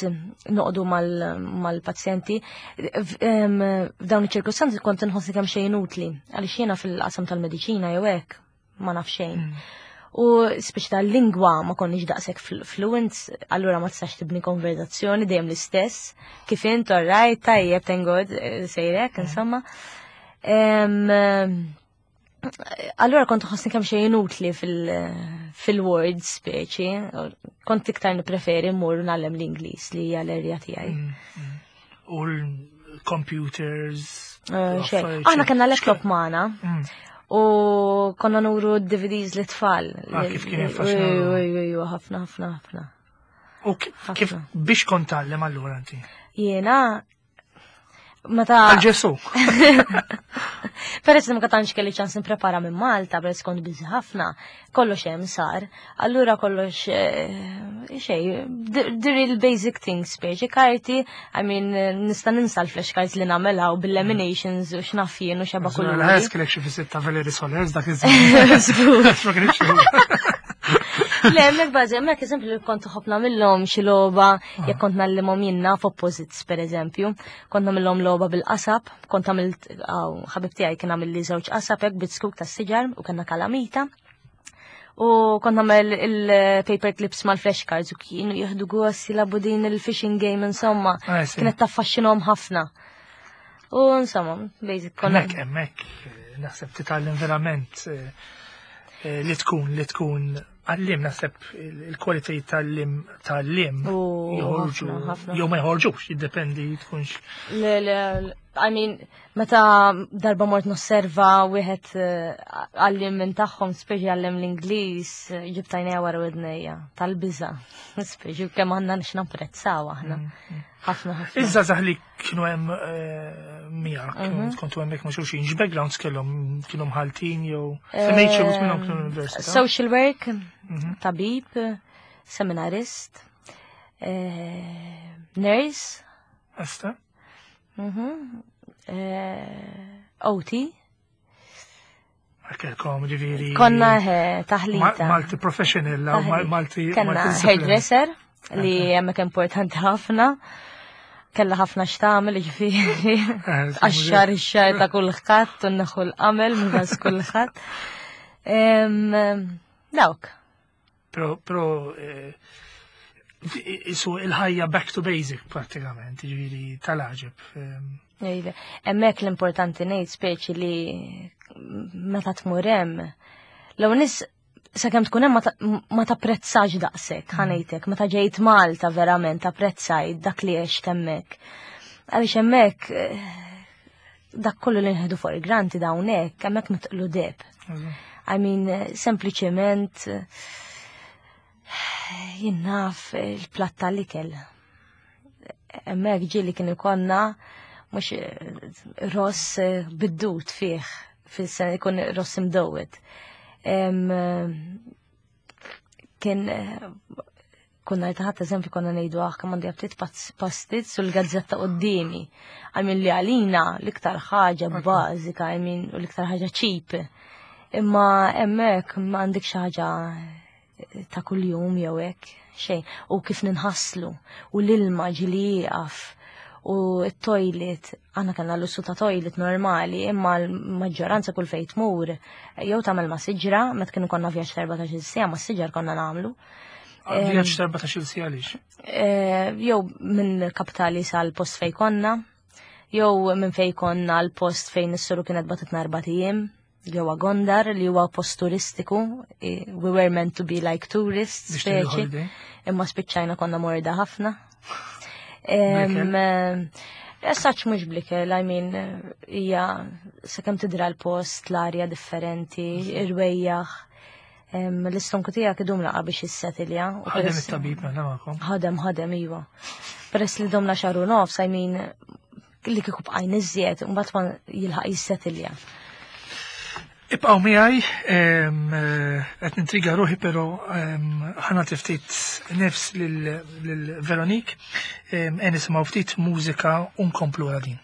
noqogħdu mal-pazjenti. F'dawn iċ-ċirkustanzi kont inħossni kemm xejn utli, għaliex jiena fil-qasam tal-mediċina jew hekk ma naf xejn. U speċi tal-lingwa ma konniex daqshekk fluent, allura ma tistax tibni konverzazzjoni dejjem l-istess. Kif int, all right, tajjeb, thank God, sejrek, insomma. Allura kont ħossni kemm xejn inutli fil-words speċi, kont iktar nippreferi mmur nagħllem l-Ingliż li hija l-erja tiegħi. U l-computers. Xejn. Aħna kellna laptop magħna. U konna nuru D V Ds li tfal. Ah, kif kien jaffaxxinaw. Ej, ej, ej, ħafna, ħafna, ħafna. U kif biex kont tgħallem allura inti? Jiena meta Għal Ġesu. Peress li ma tantx kelli ċans nipprepara minn Malta, peress kont busy ħafna, kollox hemm sar. Allura kollox xej, the real basic things, speċi karti, I mean, nista' ninsa l-flashcards li nagħmilha u bil-laminations u x'naf jien u xeba Żgur, kuluri. l-ħajja kellek xi viżitta Valerie Solers dak iż-żmien. Żgur. Ma kienx hu. Le, hemmhekk bażi, hemmhekk eżempju li kont ħobb nagħmilhom xi logħba, jekk kont nallimhom jien naf opposites pereżempju, kont nagħmilhom logħba bil-qasab, kont għamilt, aw, ħabib tiegħi kien għamil li żewġ qasab hekk bit-skuk tas-siġar u kellna kalamita. U kont nagħmel il-paper clips mal-flashcards u kienu jieħdu gost jilagħbu din il-fishing game, insomma. Ah, sì. Kienet taffaxxinhom ħafna. U insomma, basic konna. Hemmhekk, hemmhekk, naħseb titgħallem verament li tkun għallim, naħseb il-kwalitajiet tal-lim U joħorġu, ħafna, ħafna. jew ma joħorġux, jiddependi tkunx. Le, le, le, I mean, meta darba mort nosserva wieħed għallim minn tagħhom, speċi għallim l-Ingliż, ġibt għajnejja wara widnejja, tal-biża'. Speċi kemm għandna nix napprezzaw aħna. Ħafna, ħafna. Iż-żgħażagħ li kienu hemm miegħek, kontu hemmhekk ma' xulxin, x'backgrounds kellhom, kienu mħaltin jew semmejt xi wħud minnhom kienu l-università? Social work, tabib, seminarist, nurse. Esta? OT. Kelkom, ġifieri. Konna taħlita. Multi professional, aw Kellna multi-discipline. hairdresser li hemmhekk importanti ħafna. Kella ħafna x'tagħmel, ġifieri. Għax-xar ix-xar ta' kulħadd u naħu l-qamel minn ras kulħadd. Dawk. Però, però isu il-ħajja back to basic pratikament, ġifieri tal-għaġeb. Ejle, hemmhekk l-importanti ngħid speċi li meta tmur hemm, l-ewwel nies sakemm tkun hemm ma tapprezzax daqshekk, ħa ngħidlek, meta ġejt Malta verament apprezzajt dak li għext hemmhekk. Għaliex hemmhekk dak kollu li nħedu for granted hawnhekk, hemmhekk mitqlu deb. I mean, sempliċement jien naf il-platt tal-ikel. Hemmhekk ġieli kien ikonna mhux ross bid-dud fih, fis-sena ikun ross imdowwed. Kien konna taħat eżempju konna ngħidu aħ kemm għandi aptit pastizz u l-gazzetta qoddimi. I mean li għalina l-iktar ħaġa bażika, I mean u l-iktar ħaġa cheap. Imma hemmhekk ma għandek xi ħaġa ta' kuljum jew hekk, xejn. U kif ninħaslu, u l-ilma ġieli jieqaf, u t-toilet, għandna kellna l-lussu ta' toilet normali, imma l-maġġoranza kull fejn tmur, jew tagħmel ma' siġra, meta kienu konna vjaġġ ta' 14-il siegħa, ma' siġar konna nagħmlu. Vjaġġ ta' 14-il siegħa għaliex? Jew minn kapitali sal-post fejn konna, jew minn fejn konna l-post fejn is-suru kienet batitna erbat ijiem, ġewwa Gondar li huwa post turistiku, we were meant to be like tourists, Biex tieħdu speċi. holiday. Imma spiċċajna konna morda ħafna. Michael? Essaċ mhux blikel, I mean, hija sakemm tidra l-post, l-arja differenti, irwejjaħ. L-istonku tiegħek idum laqa biex jissetilja. Ħadem it-tabib mela magħkom. Ħadem, ħadem, iva. Peress li domna xahar u nofs, I mean, li kieku bqajn iżjed, mbagħad ma jilħaq jissetilja. Ibqgħu miegħi, qed nintriga ruħi però ħa nagħti ftit nifs lil Veronique, e nisimgħu ftit mużika u nkomplu wara din.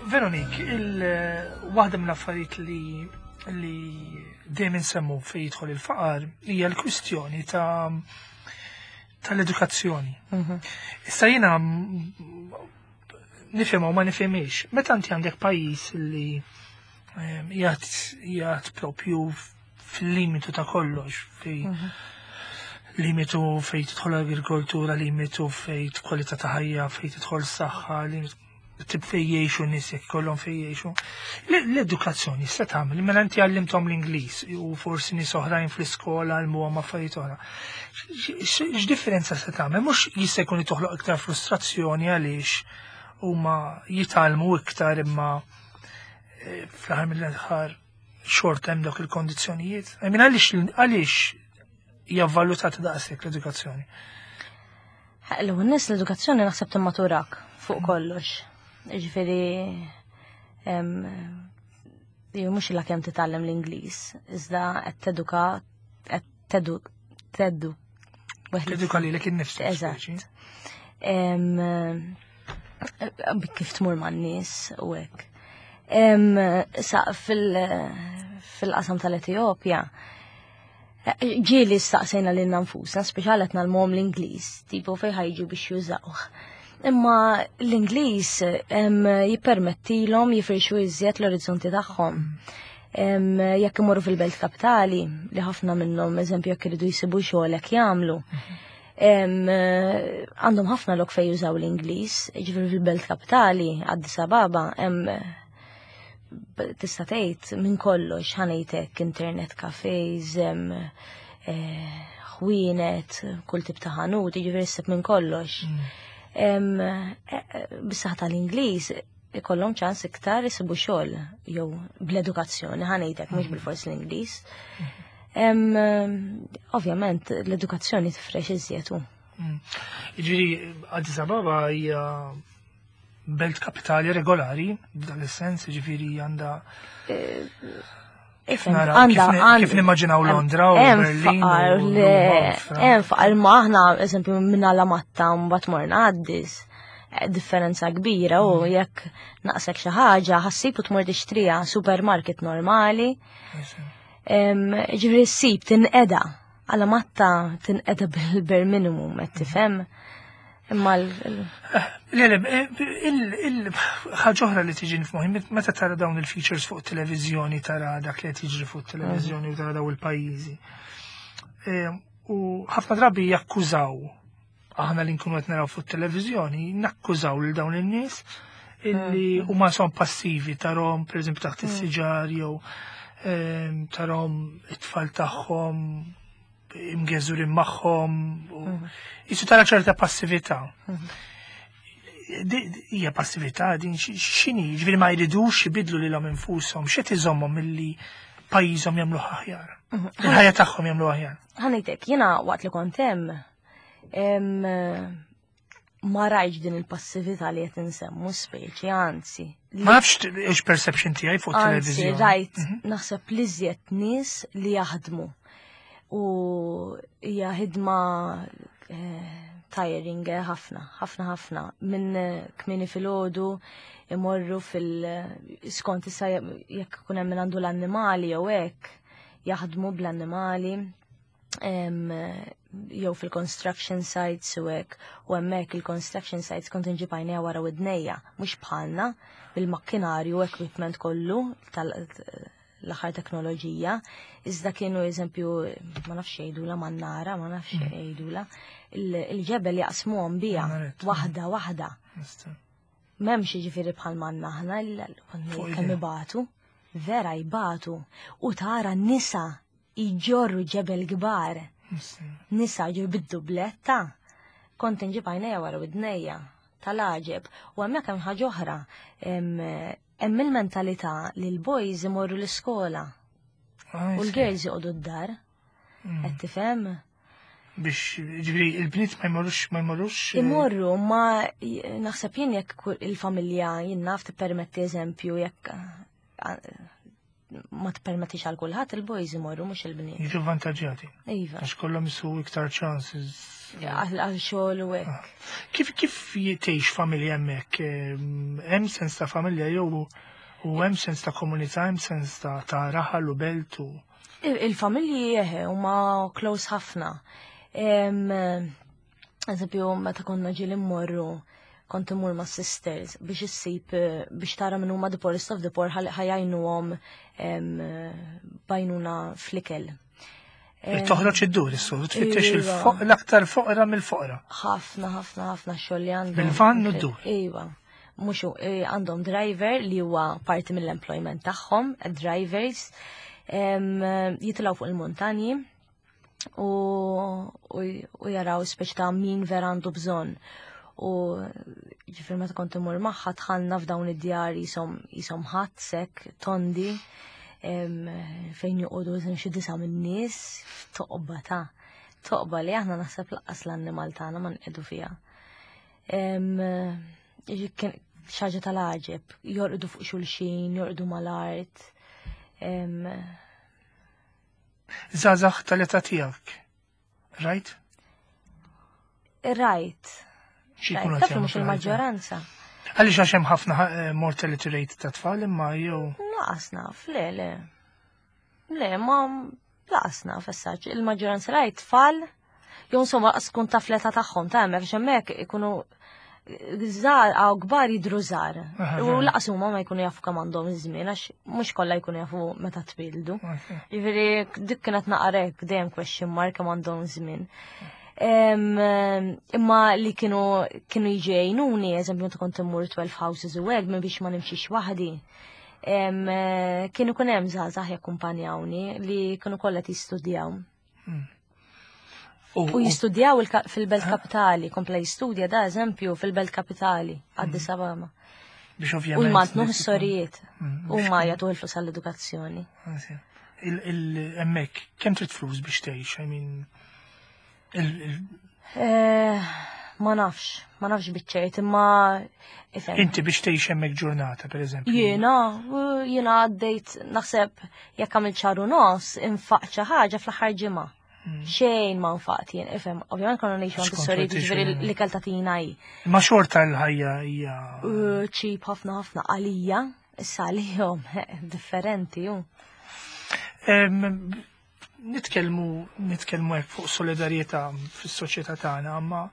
Veronik, il-waħda mill-affarijiet li li dejjem insemmu fejn jidħol il-faqar hija l-kwistjoni ta' tal-edukazzjoni. Issa jiena nifhem u ma nifhimx. Meta inti għandek pajjiż li jgħat propju fil-limitu ta' kollox, fi. Limitu fejn tidħol agrikoltura, limitu fejn kwalità ta' ħajja, fejn tidħol saħħa, limitu tip fej jgħixu nies jekk ikollhom fej jgħixu. L-edukazzjoni se tagħmel, mela inti għallimthom l-Ingliż u forsi nies oħrajn fl-iskola għallmuhom affarijiet oħra. X'differenza se tagħmel? Mhux jista' jkun li toħloq iktar frustrazzjoni għaliex huma jitgħallmu iktar imma eh, fl-aħħar mill-aħħar xorta hemm dawk il-kondizzjonijiet. I mean, għaliex għaliex hija valutata daqshekk l-edukazzjoni? L-ewwel nies l-edukazzjoni naħseb timmaturak fuq kollox. Ġifieri jew mhux illa kemm titgħallem l-Ingliż, iżda qed teduka qed tedu tedu Teduka lilek innifsek. Eżatt. Kif tmur man-nies u hekk. Sa fil-qasam tal-Etjopja, ġieli staqsejna lil nfusna, speċjal qed ngħallmuhom l-Ingliż, tipo fejn ħajġu biex jużawh. Imma l-Ingliż jippermettilhom jifirxu iżjed l-orizzonti tagħhom. Jekk imorru fil-belt kapitali, li ħafna minnhom eżempju jekk iridu jsibu xogħol hekk jagħmlu. Għandhom ħafna lok fejn jużaw l-Ingliż, ġifieri fil-belt kapitali, Addis Ababa, hemm tista' tgħid minn kollox ħa ngħidlek internet cafes, ħwienet, kull tip ta' ħanut, jiġifieri ssib minn kollox. Bis-saħħa tal-Ingliż ikollhom ċans iktar isibu xogħol jew bl-edukazzjoni ħa ngħidlek mhux bil-fors l-Ingliż. Ovvjament l-edukazzjoni tifrex iżjed hu. Jiġifieri Addis Ababa hija belt kapitali regolari, f'dan is-sens, ġifieri għandha Kif naraw, kif nimmaġinaw Londra u Berlin. Hemm faqar ma aħna, eżempju, minn Alamatta mbagħad morna Addis. Differenza kbira u jekk naqsek xi ħaġa ħassib u tmur tixtriha supermarket normali. Ġifieri ssib tinqeda Alamatta tinqeda bil-bare minimum qed tifhem. Imma l- Le, le, il-ħaġa oħra li tiġi f'moħħi, meta tara dawn il-features fuq televizjoni, tara dak li qed jiġri fuq televizjoni u tara daw il-pajjiżi. U ħafna drabi jakkużaw, aħna li nkunu qed naraw fuq televizjoni, nakkużaw lil dawn in-nies illi huma son passivi, tarahom pereżempju taħt is-siġar jew tarahom it-tfal tagħhom imgeżurin magħhom u jisu tara ċerta passività. Hija passività din x'inhi, ġifieri ma jridux jibidlu lilhom infushom, x'qed iżommhom milli pajjiżhom jagħmluh aħjar. Il-ħajja tagħhom jagħmlu aħjar. Ħa ngħidlek, jiena waqt li kont hemm ma rajtx din il-passività li qed insemmu speċi, anzi. Ma nafx ix perception tiegħi fuq Anzi, televiżjoni. rajt, naħseb li iżjed nies li jaħdmu. U hija ħidma tiring ħafna, ħafna ħafna. Minn kmieni filgħodu imorru fil skont issa jekk ikun hemm min għandu l-annimali jew hekk jaħdmu bl-annimali jew fil-construction sites u hekk, u hemmhekk il-construction sites kont inġib għajnejja wara widnejja, mhux bħalna bil-makkinarju equipment kollu tal-aħħar teknoloġija, iżda kienu eżempju, ma nafx jgħidula mannara, ma nafx jgħidula, il-ġebel jaqsmuhom bija, Mannaret. waħda waħda. M'hemmx jiġifieri bħal manna aħna, Fuq kemm idea. ibatu, vera jbatu, u tara nisa jġorru ġebel kbar. Nisa ġur bid-dubletta. Kont inġib għajnejja wara widnejja tal-għaġeb. U hemmhekk hemm ħaġa oħra. Hemm il-mentalità li l-boys imorru l-iskola u l-girls joqogħdu d-dar. Qed tifhem? Biex, ġifieri, il-bniet ma jmorrux, ma jmorrux, Imorru, ma naħseb jien jekk il-familja jien naf tippermetti eżempju jekk ma tippermettix għal kulħadd il-boys imorru mhux il-bniet. Jiġu vantaġġjati. Iva. Għax kollhom isu iktar chances. Għal xogħol u hekk. Kif tgħix familja hemmhekk? Hemm sens ta' familja jew u hemm sens ta' komunità, hemm sens ta' raħal u belt u Il-familji eħe huma close ħafna. Eżempju, meta konna ġieli mmorru, kont imur ma' sisters biex issib biex tara min huma the poorest of the poor ħajajnuhom bajnuna fl-ikel. Toħroġ id-dur is-sur, tfittex iva. l-aktar foqra mill-foqra. Ħafna, ħafna, ħafna xogħol li għandhom. Bil-van u d-dur. Iva. Mhux eh, għandhom driver li huwa parti mill-employment tagħhom, drivers, jitilgħu fuq il-muntanji u, u, jaraw speċi ta' min vera għandu bżonn. U ġifir meta kont imur magħha tħallna f'dawn id-djar jisom ħadd sek tondi fejn joqogħdu xi disa' min-nies f'toqba ta' toqba li aħna naħseb laqqas l-annimal tagħna ma nqedu fiha. Xaġa tal-għaġeb, jorqdu fuq xulxin, jorqdu mal-art. Żgħażagħ tal-età tiegħek, right? Rajt. Xi jkunu Taf mhux il-maġġoranza. Għaliex għax hemm ħafna eh, mortality rate ta' tfal imma jew. Laqas naf, le, le. Le, ma laqas naf essaċ. Il-maġġoranza rajt tfal, jew insomma laqas tkun taf l-età tagħhom ta' hemmhekk hemmhekk ikunu żgħar għaw kbar jidru żgħar. U laqas huma ma jkunu jafu kemm għandhom iż-żmien għax mhux kollha jkunu jafu meta twildu. Jiġifieri dik kienet naqarek dejjem question mark kemm għandhom żmien. Imma li kienu kienu jiġu jgħinuni, eżempju meta kont immur 12 houses u hekk minn biex ma nimxix waħdi. Kienu kun hemm żgħażagħ jakkumpanjawni li kienu kollha jistudjaw. U jistudjaw fil-Belt Kapitali, kompla jistudja da eżempju fil-Belt Kapitali, Addis Ababa. Biex ovvjament. U jmantnu s-sorijiet. U ma jagħtu il-flus għall-edukazzjoni. Il-emmek, kemm trid flus biex tgħix? I mean, eh, ma nafx, ma nafx biċċejt, imma. Inti biex tgħix hemmhekk ġurnata, per eżempju. Jiena, jiena għaddejt naħseb jekk għamilt xahar u nofs infaqt xi ħaġa fl-aħħar ġimgħa. Xejn ma nfaqt jien, ifhem, ovvjament konna ngħixu għand is-sorijiet ġifieri l-ikel tagħtina hi. Ma xorta l-ħajja hija. Cheap ħafna ħafna għalija, issa għalihom differenti ju. Nitkellmu nitkellmu hekk fuq solidarjetà fis-soċjetà tagħna, imma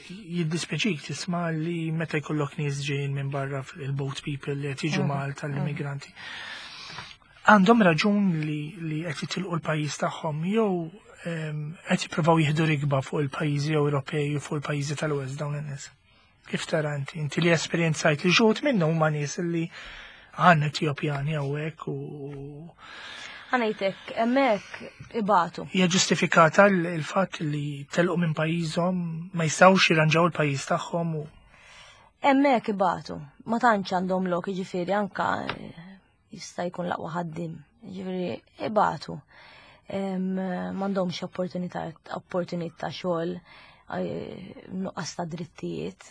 jiddispjaċik tisma' li meta jkollok nies ġejjin minn barra il-boat people li qed jiġu Malta l-immigranti. Għandhom raġun li qed jitilqu l-pajjiż tagħhom jew qed jippruvaw jieħdu rikba fuq il-pajjiżi Ewropej u fuq il-pajjiżi tal-West dawn in-nies. Kif tara inti? Inti li esperjenzajt li xogħod minnhom huma nies li għandna Etjopjani hawnhekk u Ħa ngħidlek, hemmhekk ibatu. Hija ġustifikata l-fatt li telqu minn pajjiżhom ma jistgħux jirranġaw il-pajjiż tagħhom u Hemmhekk ibatu. Ma tantx għandhom lok, jiġifieri anka jista' jkun l-aqwa ħaddim. Jiġifieri ibatu. M'għandhomx opportunità opportunità xogħol, nuqqas ta' drittijiet.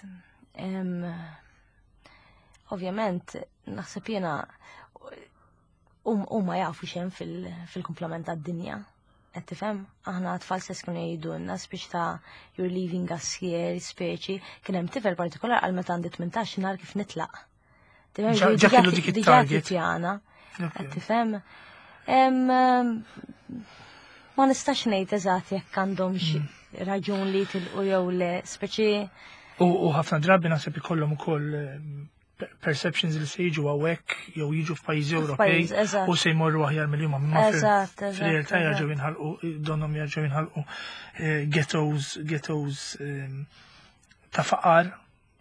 Ovvjament, naħseb jiena huma jafu x'hemm fil-kumplament tad-dinja. Qed tifhem? Aħna tfal stess kienu jgħidulna speċi ta' you're leaving us here, speċi. Kien hemm tifel partikolar għal meta għandi 18 nhar kif nitlaq. Tifhem? Ġa kellu dik Diġà it-target. tippjana. Qed tifhem? Ma nistax ngħid eżatt jekk għandhom xi raġun li jitilqu jew le, speċi U ħafna drabi naħseb ikollhom ukoll perceptions li se jiġu hawnhekk jew jiġu f'pajjiżi Ewropej F'pajjiż, eżatt. u se jmorru aħjar mill-jum imma fil-realtà jerġgħu jinħalqu donhom jerġgħu jinħalqu ghettos ta' faqar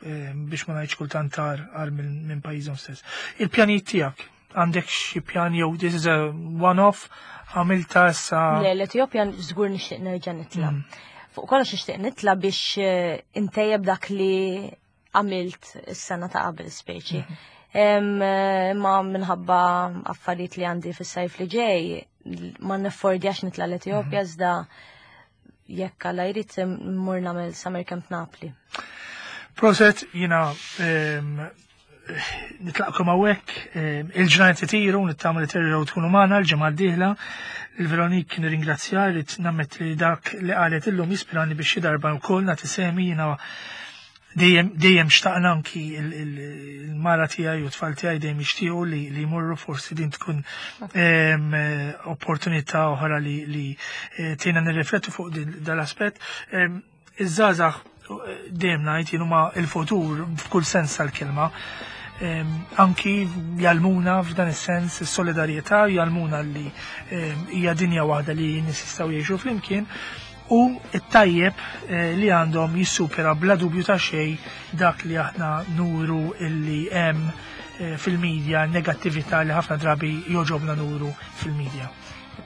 biex ma ngħidx kultant tar minn pajjiżhom stess. Il-pjanijiet tiegħek għandek xi pjan jew this is a one-off għamilta issa? Le, l-Etjopja żgur nixtieq nerġa' nitla'. Fuq kollox nixtieq nitla' biex intejjeb dak li għamilt is-sena ta' qabel speċi. Ma minħabba affarijiet li għandi fis-sajf li ġej, ma neffordjax nitla' l-Etjopja iżda jekk Alla jrid mmur nagħmel summer camp Napli. Proset, jiena nitlaqkom hawnhekk, il-ġranet itiru, nittama li terġgħu tkunu magħna l-ġimgħa d-dieħla. Il-Veronik nirringrazzja li nammet li dak li qalet illum jispirani biex xi darba wkoll nagħti semi jiena dejjem xtaqna anki il-mara tiegħi u t-tfal tiegħi dejjem jixtiequ li jmorru forsi din tkun opportunità oħra li tgħinna nirriflettu fuq dal-aspett. Iż-żgħażagħ dejjem ngħid jien huma il-futur f'kull sens tal-kelma. Anki jgħallmuna f'dan is-sens is-solidarjetà, jgħallmuna li hija dinja waħda li n-nies jistgħu jgħixu flimkien u t-tajjeb eh, li għandhom jissupera bla dubju ta' xejn dak li aħna nuru illi hemm eh, fil-medja, negattività li ħafna drabi joġobna nuru fil-medja.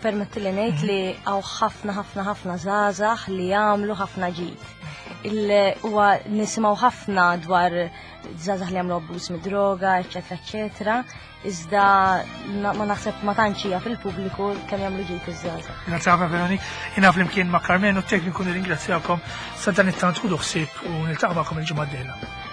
Permetti li ngħid li hawn ħafna ħafna ħafna żgħażagħ li jagħmlu ħafna ġid. Huwa nisimgħu ħafna dwar żgħażagħ li jagħmlu abbuż mid-droga, eċetera, eċetera, iżda ma naħseb ma tantx hija fil-pubbliku kemm jagħmlu ġid iż-żgħażagħ. Grazzi ħafna Veronik. Jiena flimkien ma' Carmen u t-tekniku nirringrazzjakom sa dan it-tant ħudu ħsieb u niltaqa' magħkom il-ġimgħa d-dieħla.